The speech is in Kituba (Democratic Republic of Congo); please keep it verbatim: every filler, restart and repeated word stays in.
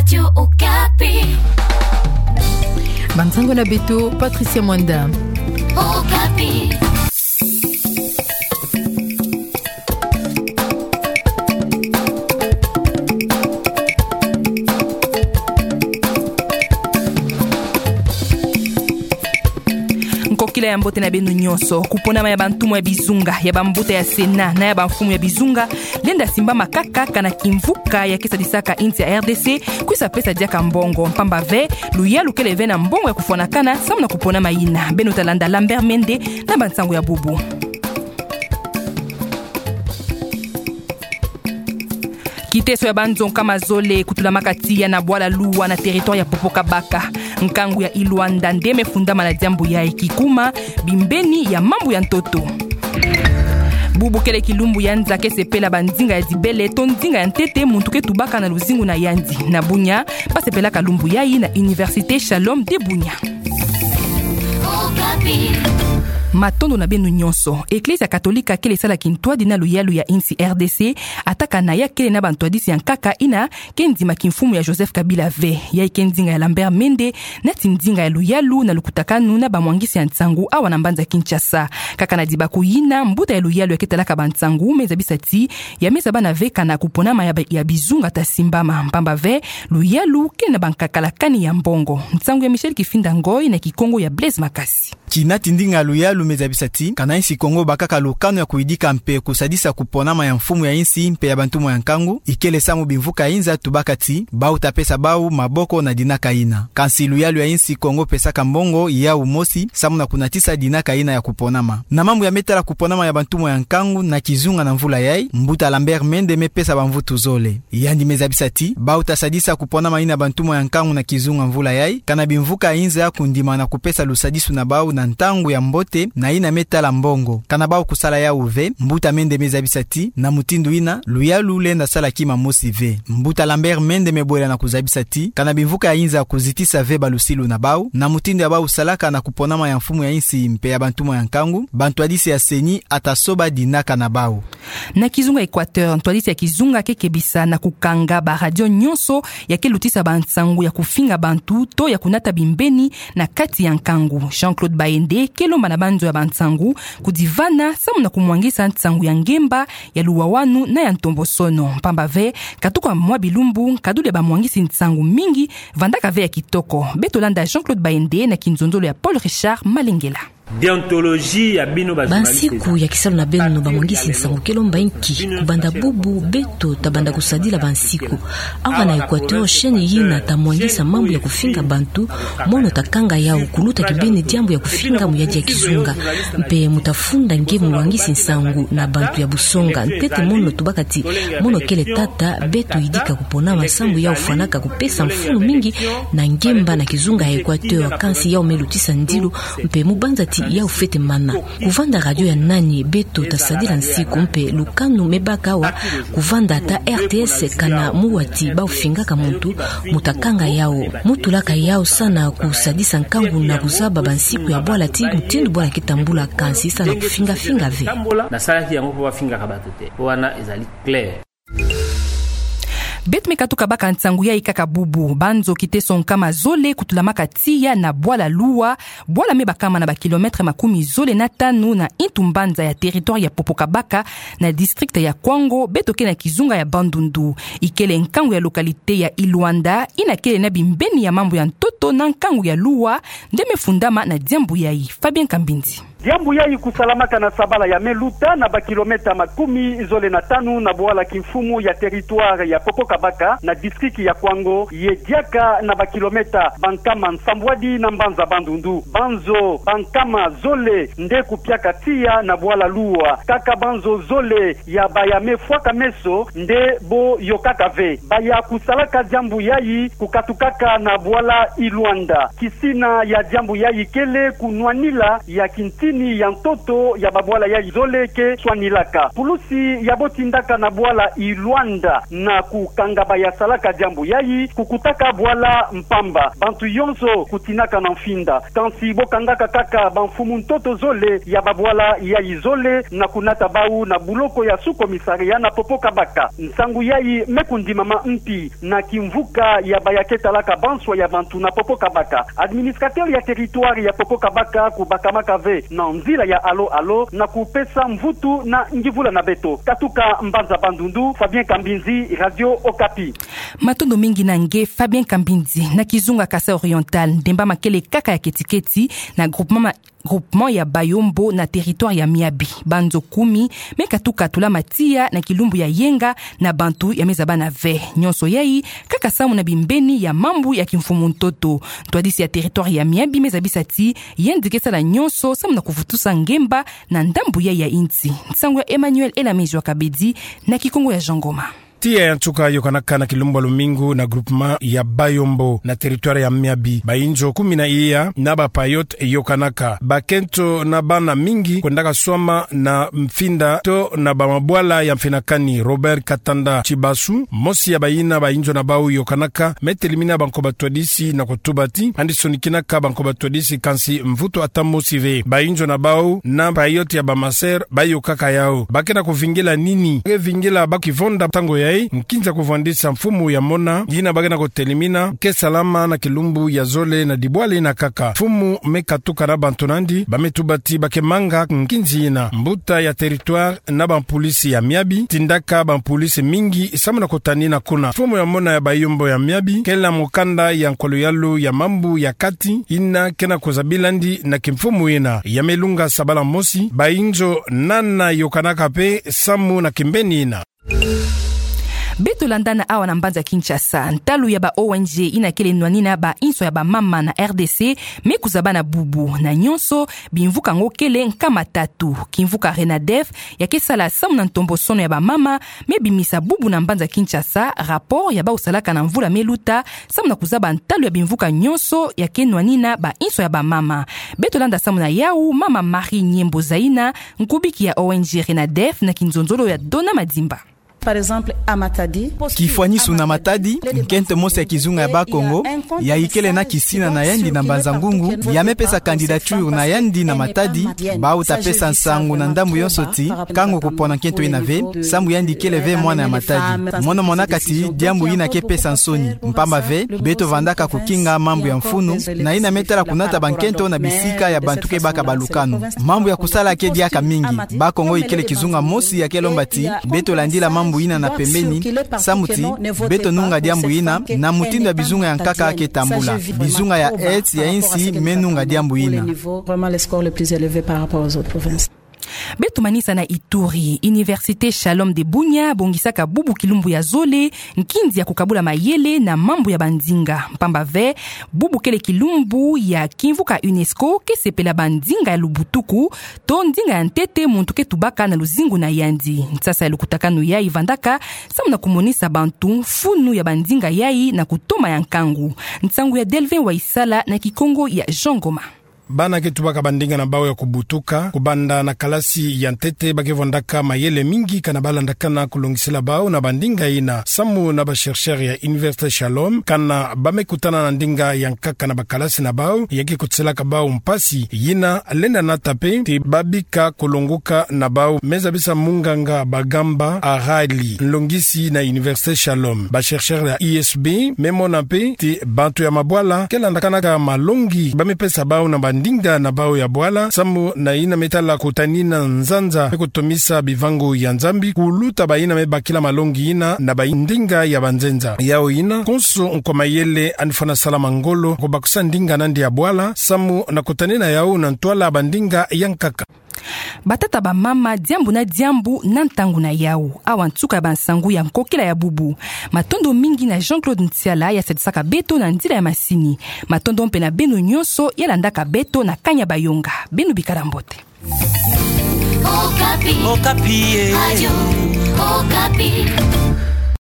Radio Okapi. Bansango na beto, Patricia Mwanda. Okapi. Nkokila ya mbote na beno nyonso. Kuponama ya bantumu ya bizunga, ya bambuta ya Sénat na ya bamfumu ya bizunga lenda simbama kaka, kana kimvuka ya ke sadisaka insi ya R D C kwisa pesa diaka mbongo, mpamba ve luyalu kele ve na mbongo ya kufwanakana samu na kuponama yina. Beno ta landa Lambert Mende na bansango ya bubu. Kiteso ya banzo nkama zole kutulamaka tiya na bwala Luwa na territoire ya Popo Kabaka. Nkangu ya Iluanda nde me fundama na diambu yayi, kikuma bimbeni ya mambu ya ntoto. Bubu kele kilumbu ya nza ke sepela bandinga ya dibele to ndinga ya ntete muntu ke tubaka na luzingu na yandi. Na Bunia, ba sepelaka lumbu yayi na Université Shalom de Bunia. Matondo na beno nyonso. Eklezia Katolika kele sala kintwadi na luyalu ya insi R D C, ata kana ya kele na bantwadisi ya nkaka yina ke ndima kimfumu ya Joseph Kabila ve. Yayi ke ndinga ya Lambert Mende, nati ndinga ya luyalu na lukutakanu na bamwangisi ya nsangu awa na mbanza Kinshasa. Kaka na dibaku yina, mbuta ya luyalu ya ke talaka bansangu me zabisa ti ya me zabana ve kana kuponama ya ba-, ya bizunga ta simbama, mpamba ve luyalu ke na bankakala kani ya mbongo. Nsangu ya Michel Kifinda Ngoy na Kikongo ya Blaise Makasi. Kina ti ndinga ya luyalu me zabisa ti, kana insi Kongo bakaka lukanu ya kuyidika mpe kusadisa kuponama ya mfumu ya insi mpe ya bantumu ya nkangu, ikele samu bimvuka ya inza tubaka ti bau ta pesa bau maboko na dinaka yina. Kansi luyalu ya insi Kongo pesaka mbongo yawu mosi samu na kunatisa dinaka yina ya kuponama. Na mambu ya me tala kuponama ya bantumu ya nkangu na kizunga na mvula yayi, mbuta Lambert Mende me pesa bamvutu zole. Yandi me zabisa ti bau ta sadisa kuponama yina bantumu ya nkangu na kizunga mvula yayi, kana bimvuka ya inza kundima na kupesa lusadisu na bau na ntangu ya mbote na yina me tala mbongo. Kana bau kusala yawu ve, mbuta Mende me zabisa ti na mutindu yina luyalu lenda sala kima mosi ve. Mbuta Lambert Mende me bwela na kuzabisa ti kana bimvuka ya inza kuzitisa ve balusilu na bau na mutindu ya bau salaka na kuponama ya mfumu ya insi mpe ya bantumu ya nkangu, bantwadisi ya CENI a ta soba dinaka na bau. Na kizunga Equateur, ntwadisi ya kizunga ke kebisa na kukanga baradio nyonso ya ke lutisa bansangu ya kufinga bantu to ya kunata bimbeni na kati ya nkangu. Jean-Claude Bayende ke lomba na banzo ya bansangu kudivana samu na kumwangisa nsangu ya ngemba, ya luwawanu na ya ntombosono, mpamba ve katuka mwa bilumbu nkaduli ya bamwangisi nsangu mingi vandaka ve ya kitoko. Beto landa Jean-Claude Bayende na kinzonzolo ya Paul Richard Malengela. Déontologie ya bino ba journaliste. Bansiku ya kisalu na beno bamwangisi nsangu ke lomba inki? Kubanda bubu beto ta banda kusadila bansiku. Awa na Equateur, chaîne yina ta mwangisa mambu ya kufinga bantu, mono ta kanga yawu kuluta kibeni diambu ya kufinga mu yadi ya kizunga. Mpe mu ta funda nge mulwangisi nsangu na bantu ya busonga. Ntete mono tubaka ti mono kele tata, beto yidika kuponama samu yawu fwanaka kupesa mfunu mingi na ngemba na kizunga ya Equateur, kansi yawu me lutisa ndilu, mpe mu banza ti yawu fwete mana. Kuvanda radio ya nani? Beto ta sadila nsiku, mpe lukanu me baka awa kuvanda ata R T S, kana mu wa ti bau fingaka muntu, mu ta kanga yawu. Mu tulaka yawu sa na kusadisa nkangu na kuzaba bansiku ya bwala ti mutindu bwala ke tambula, kansi sa na kufinga-finga ve. Nasalaki yango mpo bafingaka bato te. Wana ezali clair. Beto me katuka baka nsangu yayi kaka bubu. Banzo kiteso nkama zole kutulamaka tiya na bwala Luwa, bwala me bakama na ba kilomètre makumi zole na tanu na intu mbanza ya territoire ya Popo Kabaka, na district ya Kwango, beto ke na kizunga ya Bandundu. Ikele nkangu ya localité ya Iluanda, yina kele na bimbeni ya mambu ya ntoto na nkangu ya Luwa, nde me fundama na diambu yayi. Fabien Kambindi. Diambu yayi kusalamaka na sabala ya me luta na ba kilomètre makumi zole na tanu na bwala kimfumu ya territoire ya Popo Kabaka na district ya Kwango, ye diaka na ba kilomètre bankama nsambwadi na mbanza Bandundu. Banzo bankama zole nde kupiaka tiya na bwala Luwa. Kaka banzo zole ya baya me fwaka meso nde bo yokaka ve. Baya kusalaka diambu yayi kukatukaka na bwala Iluanda. Kisina ya diambu yayi kele kunwanila ya kinti Tini ya ntoto ya babwala ya izole ke swanilaka. Pulusi ya botindaka na bwala i Luanda na kukanga bayasalaka diambu yayi, kukutaka bwala mpamba. Bantu yonso kutinaka na mfinda. Kansi bokangaka kaka bamfumu ntoto zole ya babwala ya izole na kunata bau na buloko ya sous-commissariat na Popo Kabaka. Nsangu yayi me kundimama mpi na kimvuka ya baya ke talaka banswa ya bantu na Popo Kabaka. Administrateur ya territoire ya Popo Kabaka kubakamaka ve na nzila ya alo-alo na kupesa mvutu na ngivula na beto. Katuka mbanza Bandundu, Fabien Kambinzi, Radio Okapi. Matondo mingi na nge Fabien Kambinzi. Na kizunga Kasaï Oriental, Ndemba Makele kaka ya keti-keti na groupement ma-, groupement ya Bayombo na territoire ya Miabi, banzo kumi me katuka tula matiya na kilumbu ya yenga na bantu ya me zabana ve. Nyonso yayi kaka samu na bimbeni ya mambu ya kimfumu ntoto. Ntwadisi ya territoire ya Miabi me zabisa ti yandi ke sala nyonso samu na kuvutusa ngemba na ndambu yayi ya insi. Nsangu ya Emmanuel Elamezi wa Kabedi na Kikongo ya Jean Ngoma. Tiya ya nsuka yokanaka na kilumbu ya lumingu na groupement ya Bayombo na territoire ya Miabi. Bayinzo kumi na iya na ba payotes yokanaka. Bakento na bana mingi kwendaka swama na mfinda to na bamabwala ya mfinakani. Robert Katanda Tibasu, mosi ya bayina bayinzo na bau yokanaka, me telimina banko batwadisi na kutuba ti yandi sonikinaka banko batwadisi kansi mvutu ata mosi ve. Bayinzo na bau na payotes ya ba masœurs bayokaka yau. Ba ke na kuvingila nini? Ba ke vingila ba kivonda ntangu yayi nkinza kuvandisa mfumu ya mona, yina ba ke na kutelimina ke salama na kilumbu ya zole na dibwala yina kaka. Mfumu me katuka na bantu na yandi, ba me tuba ti ba ke manga nkinzi yina. Mbuta ya territoire na bampulisi ya Miabi tindaka bampulisi mingi samu na kutanina kuna. Mfumu ya mona ya Bayombo ya Miabi kele mukanda ya nkolo yalu ya mambu ya kati, yina ke na kuzabila yandi na kimfumu yina. Ya me lunga sabala mosi, bayinzo nana yokanaka pe samu na kimbeni yina. Beto landana awa na mbanza Kinshasa. Ntalu ya ba O N G yina kele nwanina bainso ya bamama na R D C me kuzabana bubu. Na nyonso, bimvuka ngo kele nkama tatu. Kimvuka Renadef ya ke sala samu na ntombosono ya bamama me bimisa bubu na mbanza Kinshasa rapport ya bau salaka na mvula me luta samu na kuzaba ntalu ya bimvuka nyonso ya ke nwanina bainso ya bamama. Beto landa samu na yau, Mama Marie Nyembo Zaina, nkubiki ya O N G Renadef na kinzonzolo ya Dona Madimba. Par exemple, à Matadi. Kifwanisu na Matadi, nkento mosi ya kizunga ya Bakongo, ya ikele na kisina na yandi na Mbanza-Ngungu, ya me pesa candidature na yandi na Matadi, bau ta pesa nsangu na ndambu yonso ti, kango kupona nkento yina ve, samu yandi kele ve mwana ya Matadi. Mono monaka ti diambu yina ke pesa nsoni, mpamba ve, beto vandaka kukinga mambu ya mfunu, na yina me tala kunata bankento na bisika ya bantu ke baka balukanu. Mambu ya kusala ke diaka mingi. Bakongo ikele kizunga mosi ya ke lomba ti beto landila mambu yina na pembeni, samu ti beto nunga diambu yina na mutindu ya bizunga ya nkaka ke tambula. Bizunga ya est ya insi me nunga diambu yina. Vraiment, le score le plus élevé par rapport aux autres provinces. Beto manisa na Ituri. Université Shalom de Bunia bongisaka bubu kilumbu ya zole nkinzi ya kukabula mayele na mambu ya bandinga. Mpamba ve, bubu kele kilumbu ya kimvuka UNESCO ke sepela bandinga ya lubutuku, to ndinga ya ntete muntu ke tubaka na luzingu na yandi. Nsasa ya lukutakanu yayi vandaka samu na kumonisa bantu mfunu ya bandinga yayi na kutoma ya nkangu. Nsangu ya Delvin Waisala na Kikongo ya Jean Ngoma. Bana ke tubaka bandinga na bau ya kubutuka, kubanda na kalasi ya ntete, ba ke vwandaka mayele mingi kana ba landakana kulongisila bau na bandinga yina. Samu na ba chercheurs ya Université Shalom, kana ba me kutana na ndinga ya nkaka na bakalasi na bau, ya ke kutiselaka bau mpasi, yina lenda nata pe ti ba bika kulongoka na bau. Me zabisa munganga Bagamba Arali, nlongisi na Université Shalom. Ba chercheurs ya I S B me mona pe ti bantu ya mabwala ke landakanaka malongi ba me pesa bau na bandinga na bau ya bwala, samu na yina me tala kutanina nzanza, me kutomisa bivangu ya Nzambi, kuluta bayina me bakila malongi yina na bandinga ya banzenza. Yau yina, konso nkwa mayele yandi fwana sala mangolo, kubakisa ndinga na yandi ya bwala, samu na kutanina yau na ntwala bandinga ya nkaka. Batata, bamama, diambu na diambu na ntangu na yau. Awa nsuka ya bansangu ya nkokila ya bubu. Matondo mingi na Jean-Claude Ntiala ya sadisaka beto na nzila ya masini. Matondo mpe na beno nyonso ya landaka beto na Kanya Bayonga. Beno bikala mbote. Okapi. Okapi, eh. Radio Okapi.